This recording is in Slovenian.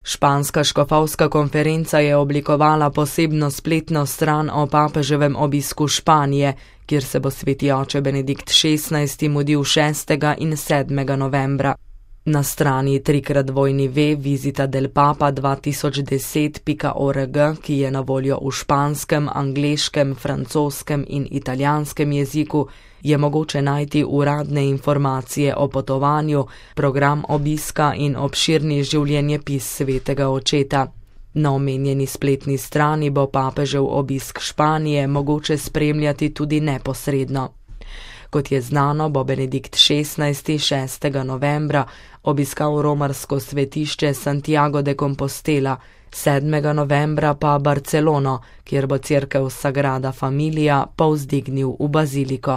Španska škofovska konferenca je oblikovala posebno spletno stran o papeževem obisku Španije, kjer se bo sveti oče Benedikt XVI mudil 6. in 7. novembra. Na strani www.visitadelpapa2010.org, ki je na voljo v španskem, angleškem, francoskem in italijanskem jeziku, je mogoče najti uradne informacije o potovanju, program obiska in obširni življenjepis svetega očeta. Na omenjeni spletni strani bo papežev obisk Španije mogoče spremljati tudi neposredno. Kot je znano, bo Benedikt XVI 6. novembra obiskal romarsko svetišče Santiago de Compostela, 7. novembra pa Barcelono, kjer bo cerkev Sagrada Familia povzdignil v baziliko.